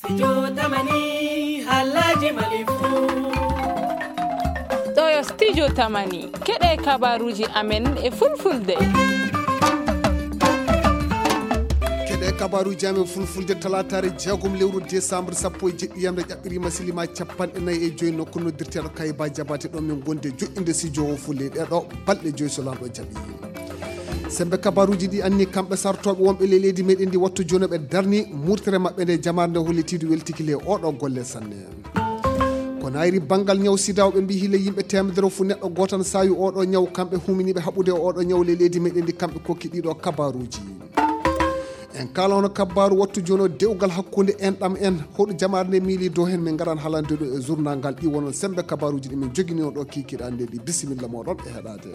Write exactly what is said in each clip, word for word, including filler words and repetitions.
Studio Tamani, halaji mali fu. Ɗo yo Studio Tamani, keɗe kabaruji amen e fulfulde. Keɗe kabaruji amen fulfulde, talataare jeegom lewru décembre sappo e jeɗɗi yamre ƴaɓɓirima silima capanɗe nayi e joyi nokku noddirteɗo Kayba Jabate. Ɗo min gonde joɗɗinde studio o fulle ɗeɗo balɗe joyi so lanɗo jaɓi. Sembe kabaruji ɗi anni kamɓe sartoɓe wonɓe ley leydi meɗen ndi wattu jono ɓe darni murtere maɓɓe nde jamaare nde hollitiiɗo weltiki ley oɗo golle sanne. Ko nayri banngal ñaw sida o ɓe mbi hila yimɓe temedere fu neɗɗo gootan saawi oɗo ñaw kamɓe huminiɓe haɓude oɗo ñaw ley leydi meɗen ndi kamɓe kokki ɗiɗo kabaruji. En kala hono kabaru wattu jono dewgal hakkunde en ɗam en hoɗo jamaare nde miili dow hen min ngaran halande ɗo e journal ngal ɗi wonon sembe kabaruji ɗi min jogini on ɗo kikiɗa nde ɗi bisimilla moɗon e heɗade.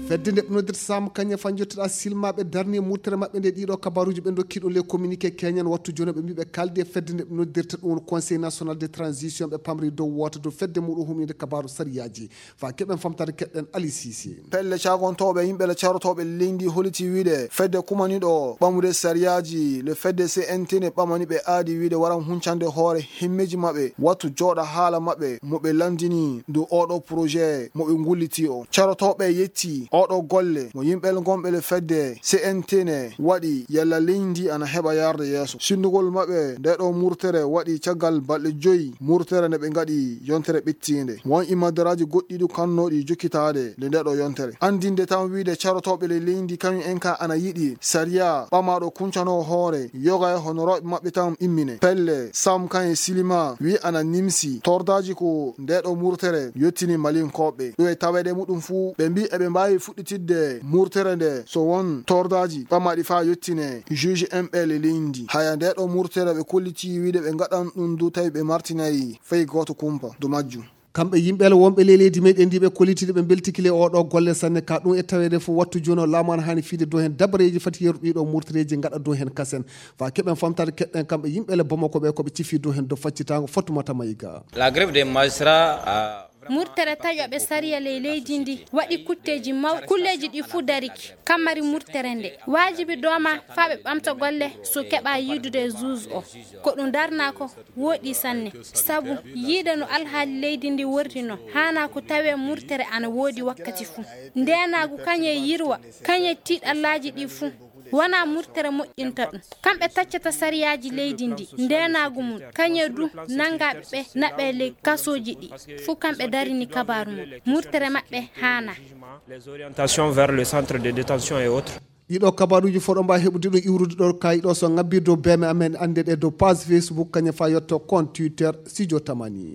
Fedde nde ɓe noddirta Sam Kanye fan jottiɗa silmaɓe darni murtere maɓɓe nde ɗiɗo kabaruji ɓe dokki ɗum les communiqué keñan wattu jono ɓe mbiɓe kalde fedde nde ɓe noddirta ɗum conseil national de transition ɓe pamri dow wota dow fedde muɗum humnide kabaru sariyaji fa keɓen famtare keɗɗen Ali Cissé. Pelle cagontooɓe yimɓe le carotooɓe leydi holiti wiide fedde kumaniɗo ɓamude sariyaaji le fedde C N T ne ɓamani ɓe aadi wiide waran huncande hoore himmeji maɓɓe wattu jooɗa haala maɓɓe mo ɓe landini ndu oɗo projet mo ɓe ngulliti o. Carotooɓe yetti oɗo golle mo yimɓe le gonɓe le fedde C N T ne waɗi yalla leydi ana heɓa yarde yeeso. Sindugol maɓɓe nde ɗo murtere waɗi caggal balɗe joyi murtere nde ɓe ngaɗi yontere ɓettiinde. Won imadaraaji goɗɗi ɗi kannooɗi jokkitaade nde nde ɗo yontere. Anndinde tan wiide carotooɓe le leydi kañum en ka ana yiɗi sariya ɓamaaɗo kuncanoo hoore yoga e honorooɓe maɓɓe tan immine. Pelle Sam kan e Silima wi ana nimsi tordaaji ko nde ɗo murtere yottini Malinkooɓe. Ɗum e taweede muɗum fuu ɓe mbi eɓe mbaawi fuɗɗitidde murtere nde so won tordaaji ɓamaaɗi faa yottine juge en ɓe le leydi. Haya nde ɗo murtere ɓe kolliti wiide ɓe ngaɗan ɗum du tawi ɓe martinayi fay gooto kumpa du majjum. Kamɓe yimɓe le wonɓe le leydi meɗen ndi ɓe kolliti ɓe mbeltiki le oɗo golle sanne ka ɗum e taweede fof wattu jooni o laamu ana hani fiide dow hen dabareeji fati yeru ɗiɗo murtereeji ngaɗa dow hen kasen fa keɓen famtare keɗɗen kamɓe yimɓe le Bamako ɓe koɓe cifi dow hen dow faccitango Fatoumata Maïga. La grève des magistrats a Murtere taƴoɓe sariya ley leydi ndi waɗi kutteeji mawɗi. Kulleeji ɗi fuu dariki. Kammari murtere nde waajibi dooma faa ɓe ɓamta golle so keɓa yiidude e juge o. Ko ɗum darnaa ko wooɗi sanne. Sabu yiide no alhaali leydi ndi worri no haanaa ko tawee murtere ana woodi wakkati fuu. Ndeenaagu kañe yirwa, kañe tiiɗallaaji ɗi fuu. Wonaa murtere moƴƴinta ɗum. Kamɓe taccata sariyaaji leydi ndi, ndeenaagu mum, kañe du nanngaaɓe ɓe naɓee ley kasooji ɗi. Fuu kamɓe darini kabaaru mum. Murtere maɓɓe haanaa. Les orientations vers le centre de détention et autres. Ɗiɗo kabaruuji fof ɗo mbaawi heɓude ɗo iwrude ɗo kayi ɗo so ngabbi dow beeme amen annde ɗe dow page Facebook kañum fa yetto compte Twitter Studio Tamani.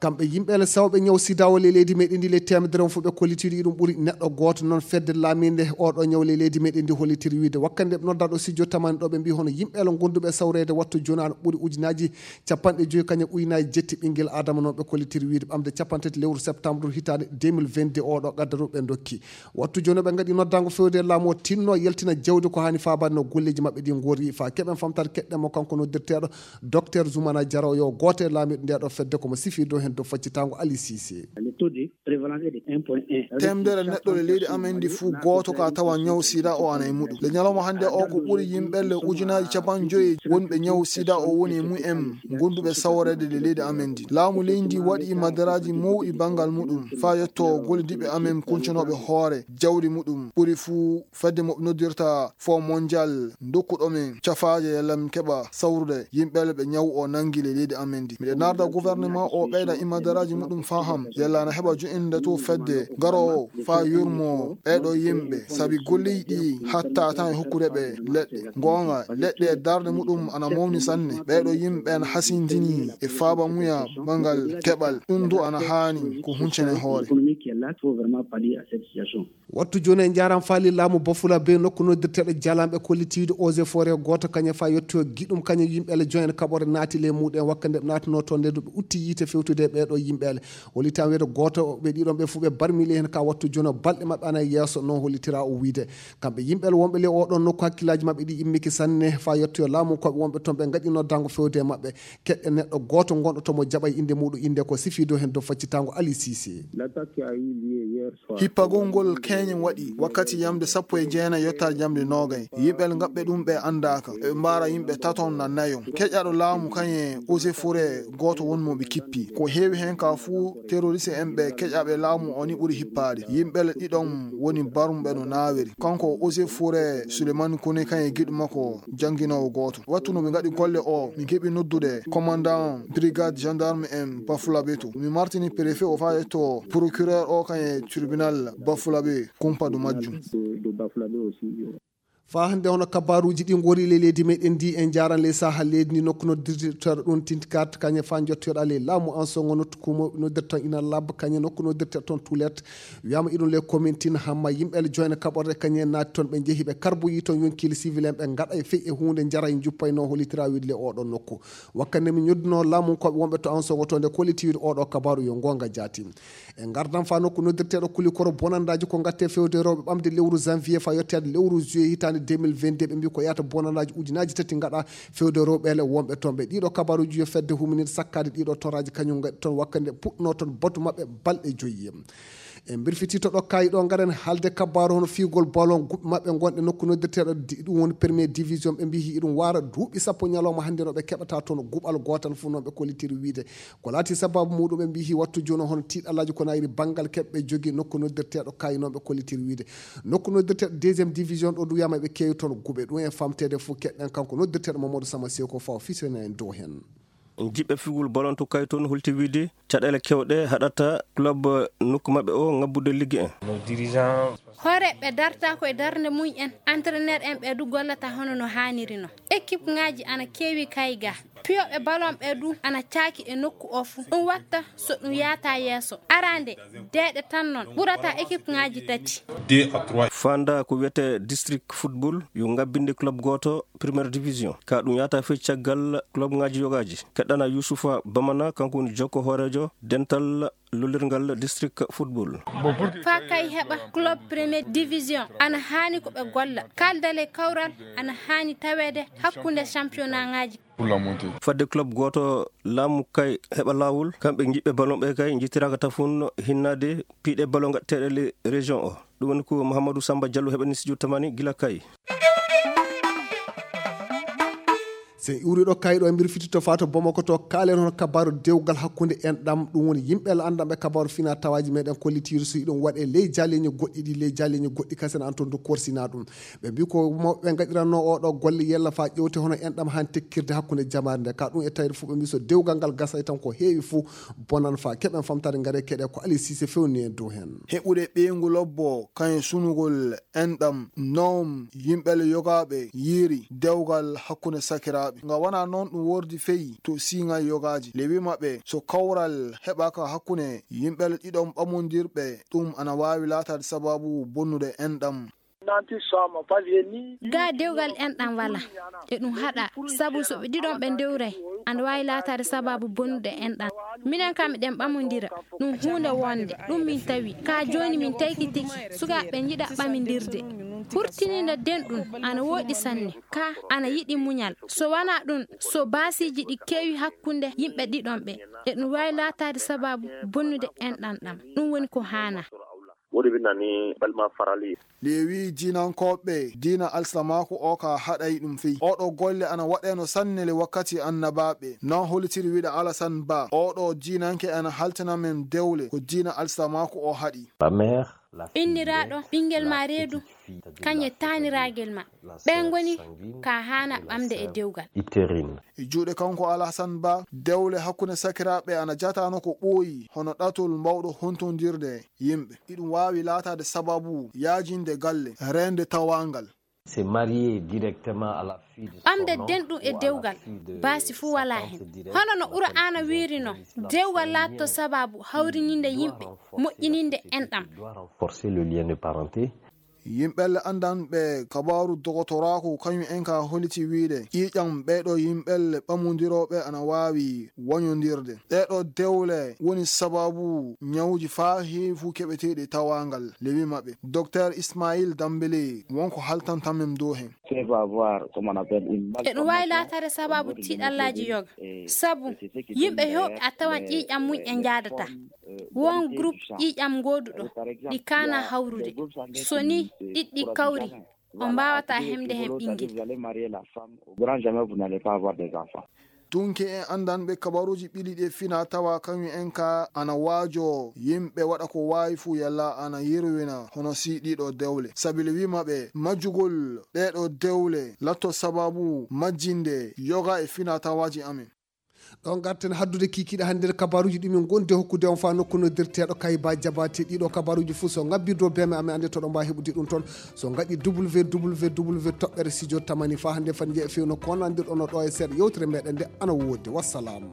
Kamɓe yimɓe le sawɓe ñaw sida o le leydi meɗen ndi le temedere on fof ɓe kollitiɗo iɗum ɓuri neɗɗo gooto noon fedde laaminde oɗo ñaw le leydi meɗen ndi hollitiri wiide wakkande ɓe noddaɗo studio tamani ɗo ɓe mbi hono yimɓe le gonduɓe sawreede wattu jooni ana ɓuri ujunaji capanɗe joyi kañum ujunaji jetti ɓinguel adama noon ɓe kollitiri wiide ɓamde capantati lewru septembre hitaande deux mille vingt-deux oɗo gaddaru ɓe dokki. Wattu jooni ɓe ngaɗi noddango fewde laamu o tinno yaltina jawdi ko hani faabade no golleji maɓɓe ɗi ngori fa keɓen famtare keɗɗen mo kanko noddirteɗo docteur Zoumana Diaro yo gooto e laamiɗo nde ɗo fedde komo sifi dow hen dow faccitango Ali Cissé. Le taux de prévalence est de un point un. Temedere neɗɗo le leydi amen ndi fuu gooto ka tawa ñaw sida o ana e muɗum. Le ñalawma hannde o ko ɓuri yimɓe le ujunaji capanɗe joyi wonɓe ñaw sida o woni e mumen gonduɓe saworeede le leydi amen ndi. Laamu leydi ndi waɗi madaraji mawɗi bangal muɗum fa yetto gollidiɓe amen kuncanooɓe hoore jawdi muɗum ɓuri fuu fedde mo ɓe noddirta Fonds Mondial dokkuɗo men cafaaje yalla min keɓa sawrude yimɓe ɓe ñaw o nangi le leydi amen ndi. Miɗe narda gouvernement o ɓeyda imadaraaji muɗum faham yalla ana heɓa jo'inde to fedde garoowo fa yurmo ɓeeɗo yimɓe sabi golleji ɗi hatta tan e hokkude ɓe leɗɗe. Goonga leɗɗe e darnde muɗum ana mawni sanne. Ɓeeɗo yimɓe ana hasindini e faabamuya bangal keɓal. Ɗum du ana haani ko huncene hoore. Wattu jooni en njaaraama faali laamu Bafula Bey nokku noddirteeɗo jalanɓe kollitiiɗo eaux et forêt gooto kañum fa yetto giɗum kañum yimɓe le joen kaɓore naati ley muɗum wakkande ɓe naatunoo toon nde ɓe utti yiite fewtude ɓeeɗo yimɓeele. Hollitaa wiyde gooto ɓe ɗiɗon ɓe fof ɓe barmili heen ka wattu jono balɗe maɓɓe ana yeeso, noon hollitira o wiyde. Kamɓe yimɓeele wonɓe le oɗon nokku hakkillaaji maɓɓe ɗi immiki sanne faa yettoyo laamu koɓe wonɓe toon ɓe ngaɗino dango fewde e maɓɓe. Keɗɗe neɗɗo gooto gonɗo tomo jaɓa e innde muɗum innde ko sifiido heen dow faccitango Ali Cissé. Hippagol ngol keñen waɗi wakkati yamde sappo e jeenayi yottaa jamde noogay. Yimɓe ngaɓɓe ɗum ɓe anndaaka. Ɓe mbaara yimɓe taton na nayon. Keƴaɗo laamu kañe Ose Fure gooto won mo ɓe kippi. Ko heewi heen ka fuu terroriste en ɓe keƴaɓe laamu o ni ɓuri hippaade. Yimɓe ɗiɗon woni barumɓe no naawiri. Kanko Ose Fure Sulemani Kone kañe giɗo makko jannginoowo gooto. Wattu no ɓe ngaɗi golle o, mi keɓi noddude commandant brigade gendarme en Bafulabe to. Mi martini préfet o faa yetto procureur o kañe tribunal Bafulabe kumpadu majjum. Faa hannde hono kabaaruuji ɗi ngori ley leydi meɗen ndi en njaaran ley saha leydi ndi nokku noddirteeɗo ɗum tintikat kañe faa njottoyoɗa ley laamu an songo nottu kumo noddirton ina labba kañe nokku noddirteeɗo toon tulet. Wiyama iɗum ley commune tin hamma yimɓe le joyna kaɓorde kañe naati toon ɓe njehi ɓe karboyi toon yonkili civil en ɓe ngaɗa e fey e huunde njara e njuppayno hollitira wiide le oɗon nokku. Wakkande mi ñodduno laamu koɓe wonɓe to an songo to nde kollitiwide oɗo kabaaru yo ngonga jaati. E ngardan faa nokku noddirteeɗo kulikoro bonandaaji ko ngatte fewde rewɓe ɓamde lewru janvier faa yetteede lewru juillet hitaande deux mille vingt-deux ɓe mbi ko yahata bonandaaji ujunaaji tati ngaɗa fewde rewɓe le wonɓe toon ɓe ɗiɗo kabaruuji yo fedde huminir sakkaade ɗiɗo toraaji kañum ngaɗi toon wakkande puɗno toon batu maɓɓe balɗe joyi. E mbirfiti to ɗo kayi ɗo ngaren haalde kabaaru hono fiigol ballon guɓɓe maɓɓe gonɗe nokku noddirteeɗo ɗum woni premier division ɓe mbi hi iɗum waara duuɓi sappo ñalawma hannde no ɓe keɓata toon guɓal gootal fof noon ɓe kollitiri wiide ko laati sababu muɗum ɓe mbi hi wattu jooni hono tiiɗalaaji ko nayiri banngal keɓɓe jogi nokku noddirteeɗo kayi noon ɓe kollitiri wiide nokku noddirteeɗo deuxième division ɗo ndu wiyama ɓe keewi toon guɓe ɗum e famtede fof keɗɗen kanko noddirteeɗo mamadou sama seko faw fisene en dow heen. Jiɓɓe figol balon to kay toon holti wiide caɗeele kewɗe haɗata club nokku maɓɓe o ngabbude ligge en. Hooreeɓe darta ko e darnde mum en, entraîneur en ɓe du gollata hono no haaniri no. Équipe ngaji ana keewi kay ga. Piyoɓe balon ɓe du ana caaki e nokku o fu. Ɗum watta so ɗum yaata yeeso. Arande deeɗe tan noon ɓurata équipe ngaji tati. Fanda ko wiyete district football yo ngabbinde club gooto première division ka ɗum yahata fey caggal club ngaji yogaji keɗɗana youssoufa bamana kanko woni jokko hoorejo dental lollirgal district football. Faa kay heɓa club première division ana haani ko ɓe golla kaldale kawral ana haani taweede hakkunde championnat ngaji. Fadde club gooto laamu kay heɓa laawol kamɓe jiɓɓe ballon ɓe kay jittiraka tafun hinnade piiɗe ballon gaɗteɗe le région o ɗum woni ko mouhamadou samba diallo heɓani studio tamani gila kay. So en iwri ɗo kayɗo e mbir fiti to fato bomoko to kaalen hono kabaru dewgal hakkunde en ɗam ɗum woni yimɓe la andanɓe kabaru fina tawaji meɗen kollitiru so iɗum waɗe ley jaleñi goɗɗi ɗi ley jaleñi goɗɗi kasen an toon to korsina ɗum. Ɓe mbi ko mawɓe gaɗiranno oɗo golle yella fa ƴewte hono en ɗam han tekkirde hakkunde jamaare nde ka ɗum e tawde fof ɓe mbi so dewgal ngal gasay tan ko heewi fof bonan fa keɓen famtare ngare keɗe ko ali sise fewni en dow hen. Heɓude ɓeyngu lobbo kañum sunugol enɗam noom yimɓele yogaaɓe yiiri dewgal hakkunde sakiraaɓe. Nga wonaa noon ɗum wordi feyi to siiŋay yogaaji. Lewi maɓɓe so kawral heɓaaka hakkunde yimɓele ɗiɗon ɓamondirɓe, ɗum ana waawi laataade sabaabu bonnude enɗam. Ga dewgal enɗam wala e ɗum haɗa sabu so ɓe ɗiɗon ɓe ndewray ana waawi laataade sabaabu bonnude enɗam. Minen kam eɗen ɓamondira ɗum huunde wonde ɗum min tawi ka jooni min taykitiki sukaaɓe njiɗa ɓamindirde. Hurtininde denɗum ana wooɗi sanne ka ana yiɗi muñal so wanaa ɗum so baasiiji ɗi keewi hakkunde yimɓe ɗiɗon ɓe eɗum waawi laataade sabaabu bonnude enɗam ɗam. Ɗum woni ko haanaa. Woni winna ni balma farali. Lewi jiinankooɓe diina alsilamaaku o ka haɗay ɗum fey oɗo golle ana waɗeno sannele wakkati annabaaɓe non holitiri wiɗa alasan ba oɗo diinanke ana haltina men dewle ko diina alsilamaaku o haɗi. Inniraaɗo ɓinngel ma reedu kañe taaniraagel ma ɓen ngoni ka haana ɓamde e dewgal. E juuɗe kanko alhasan ba dewle hakkunde sakiraaɓe ana jatano ko ɓooyi hono ɗatol mbawɗo hontondirde yimɓe. Iɗum waawi laataade sababu yaajinde galle reende tawaangal. Ɓamde denɗum e dewgal baasi fuu walaa heen. Hono no Qur'aana wiiri noon, dewgal laatto sabaabu hawrininde yimɓe, moƴƴininde enɗam. Yimɓelle anndanɓe kabaaru dogotoraaku kañum en ka holiti wiide ƴiiƴam ɓeeɗo yimɓelle ɓamondirooɓe ana waawi wañondirde. Ɗeeɗo dewle woni sababu ñawuuji faa heewi fuu keɓeteeɗi e tawaangal. Lewi maɓɓe, Doktor Ismail Dambele, wonko haltantamen dow hen. Peuvent avoir, comme on appelle, une eɗum waawi malformation laataade sababu tiiɗallaaji yoga. Sabu yimɓe heewɓe a tawan ƴiiƴam mum en njaadataa. Won groupe ƴiiƴam ngooduɗo ɗi kaana hawrude. So ni ɗiɗɗi kawri, on mbaawataa hemde hen ɓinngel. Au grand jamais, vous n'allez pas avoir des enfants. Tunke en anndanɓe kabaruuji ɓili ɗi e fina tawa kañum en ka ana waajo yimɓe waɗa ko waawi fuu yalla ana yerwina hono si ɗiɗo dewle. Sabili wiima ɓe majjugol ɗeeɗo dewle latto sababu majjinde yoga e fina tawaaji amen. Ɗo ngarten haddude kikiiɗe hannde nder kabaruuji ɗi min ngondi hokkude on faa nokku noddirteeɗo Kayba Jabaate. Ɗiɗo kabaruuji fuu so ngabbirdo beme amen annde to ɗo mbaa heɓude ɗum toon. So ngaɗi W W W toɓɓere studio tamani faa hannde fat njeeya fewno ko nandirɗo no ɗo e seeɗa yewtere meɗen nde ana woodi. Wassalam.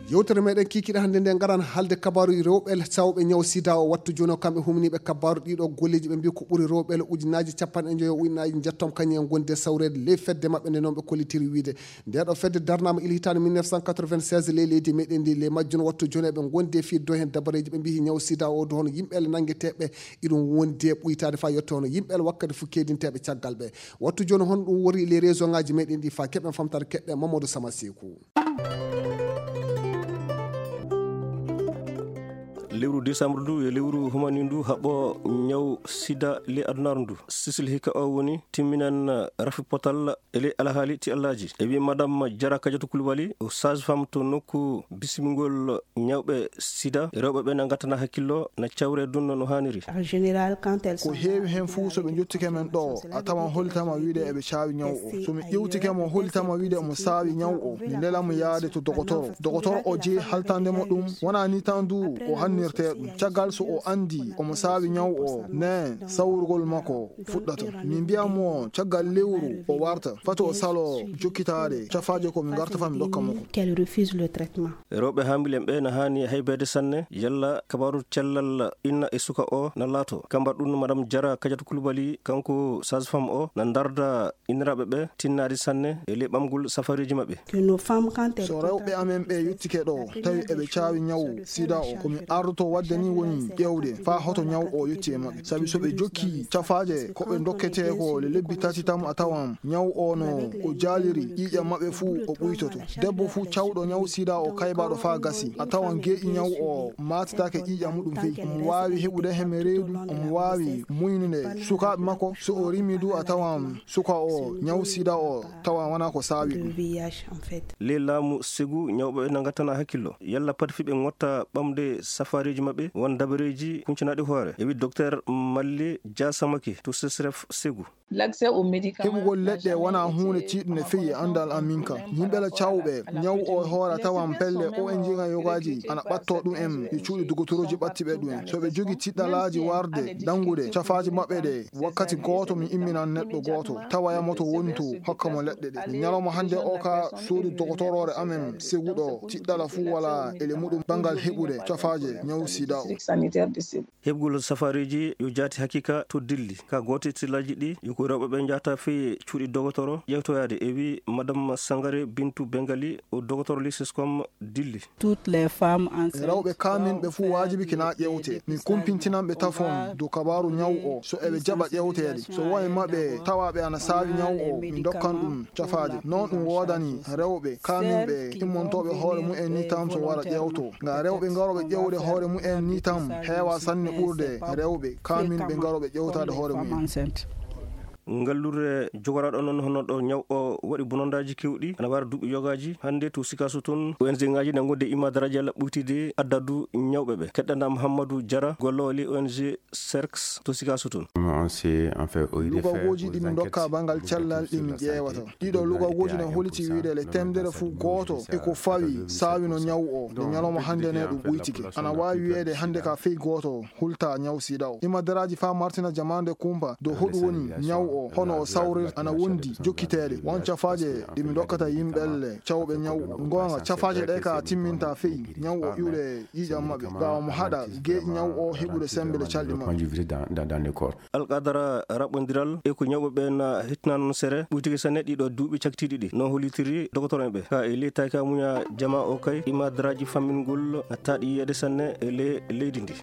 Yewtere meɗen kikiiɗe hannde nde ngaran haalde kabaaru rewɓe sawɓe ñaw sida o. Wattu jooni o kamɓe humniiɓe kabaaru ɗiɗo golleeji ɓe mbi ko ɓuri rewɓe le ujunaaji capanɗe njoyo ujunaaji njettom kañum en gondi e sawreede ley fedde maɓɓe nde noon ɓe kollitiri wiide. Nde ɗo fedde darnaama il hitaande mille neuf cent quatre-vingt-seize ley leydi meɗen ndi. Ley majjum wattu jooni eɓe gondi e fii dow hen dabareeji ɓe mbi ñaw sida o do hono yimɓe le nanngeteeɓe iɗum wondi e ɓuytaade faa yetto hono yimɓe le wakkati fof keedinteeɓe caggal ɓe. Wattu jooni hon ɗum wori ley réseau ngaji meɗen ɗi faa keɓen famtare keɗɗe Mamadou Sama Seeku. Lewru décembre ndu e lewru humani ndu haɓɓo ñaw sida ley adunaaru ndu. Sisil hikka o woni timminan rafi potal e ley alhaali ti Allaaji. E wi madame Jara Kadiatou Koulibaly, o sage-femme to nokku bisimingol ñawɓe sida, rewɓe ɓe na ngattana hakkillo, na cawre dunno no haaniri. En général, quand elles ko sont heewi hen fuu so ɓe njottike men ɗo, a tawan holitama wiide eɓe caawi ñaw o. So mi ƴewtike mo holitama wiide omo saawi ñaw o, mi nela mo yaade to dogotoro. Dogotoro o jeyi haltande mo ɗum, wona ni tan du o hannirte ɗum. Caggal so o anndi omo saawi ñaw o, ne sawrugol makko fuɗɗata. Mi mbiya mo caggal lewru o warta, fati o salo jokkitaade cafaaje ko mi ngarta faa mi dokka makko. Qu'elle refuse le traitement. Rewɓe haambilen ɓe na haani haybeede sanne, yalla kabaaru cellal inna e suka o na laato. Ka mbaɗɗun Madame Jara Kadiatou Koulibaly, kanko sage-femme o, na ndarda inniraaɓe ɓe tinnaade sanne e ley ɓamgol safareeji maɓɓe. Que nos femmes, quand elles so rewɓe amen ɓe yettike ɗo, tawi eɓe caawi ñaw sida o, ko mi ardoto waɗde ni woni ƴeewde faa hoto ñaw o yetti e maɓɓe. Sabi so ɓe jokki cafaaje ko ɓe dokketee ko le lebbi tati tan a tawan ñaw o no o jaaliri ƴiiƴam maɓɓe fuu o ɓuytoto. Debbo fuu cawɗo ñaw sida o kaybaaɗo faa gasi, a tawan geeƴi ñaw o maatitaake ƴiiƴam muɗum fey. Omo waawi heɓude heme reedu, omo waawi muñnude sukaaɓe makko. So o rimi du a tawan suka o ñaw sida o tawa wona ko saawi ɗum. Ley laamu Segu, ñawɓe na ngattana hakkillo. Yalla pati fii ɓe ngotta ɓamde safareeji maɓɓe, won dabareeji kuncanaaɗi hoore. E wi Docteur Malle Dia Samake to Sesref Segu. L'accès aux médicaments heɓugol leɗɗe wona huunde tiiɗunde feyi e anndal am min ka. Yimɓe la cawɓe ñaw o e hoore a tawan pelle O N G nga yogaaji ana ɓatto ɗum en e cuuɗi dogotorooji ɓatti ɓe ɗum en. So ɓe jogi tiɗɗalaaji warde ɗanngude cafaaji maɓɓe ɗe, wakkati gooto mi imminan neɗɗo gooto, tawa yamoto woni to, hokka mo leɗɗe ɗe. Ñalawma hannde o ka suudu dogotoroore amen Segu ɗo, tiɗɗala fuu wala ele muɗum banngal heɓude cafaaje ñaw sida o. Heɓgol safareeji yo jaati hakiika to Dilli. Ka gooto e tiɗɗalaaji ɗi, yo ko rewɓe ɓe njahata fii cuuɗi dogotoro ƴeewtoyaade, e wi Madame Sangare Bintu Bengali, o dogotoro Lisescom Dilli. Toutes les femmes enceintes rewɓe kaaminɓe fuu waajibike na ƴeewte. Min kumpintinan ɓe tafon dow kabaaru ñaw o, so eɓe jaɓa ƴeewteede. So won e maɓɓe tawaaɓe ana saawi ñaw o, min ndokkan ɗum cafaaje. Noon ɗum woodani rewɓe kaaminɓe immantooɓe hoore mumen ni tan so wara ƴeewto. Nga rewɓe ngarooɓe ƴeewde hoore mumen ni tan heewa sanne ɓurde rewɓe kaaminɓe ngarooɓe ƴeewtaade hoore mumen. Ngallure jogoraaɗo noon hono ɗo ñaw o waɗi bonondaaji keewɗi, ana wara duuɓi yogaaji. Hannde to Sikaso toon, O N G ngaaji na ngondi e imadaraaji yalla ɓuytide addadu ñawɓe ɓe. Keɗɗanɗaa Mouhamadou Diarra, golloowo ley O N G Serks to Sikaso toon. Lugagooji ɗi min ndokka banngal cellal ɗi min ƴeewata. Ɗiɗo lugagooji ne holiti wiide le temedere fuu gooto e ko fawi saawino ñaw o. Nde ñalawma hannde ne ɗum ɓuytike. Ana waawi wiyeede hannde ka fey gooto hulta ñaw sida o. Imadaraaji faa martina jamaande kumpa dow hoɗum woni ñaw o. Hono o sawrir ana wondi jokkiteede won cafaaje ɗe mi dokkata yimɓe cawɓe ñaw. Goonga, cafaaje ɗe ka timminta feyi ñaw o iwde ƴiiƴam maɓɓe, ga omo haɗa geeƴi ñaw o heɓude semmbele calɗi maɓɓe. Alqadara raɓɓondiral e ko ñawɓe ɓen hittinaa noon sere ɓuytike sanne ɗiɗo duuɓi cakitiiɗi ɗi, no hollitiri dogotoreeɓe ka e ley tayka muña jama o kay imadraji fammingol taaɗi yiyede sanne e ley leydi ndi.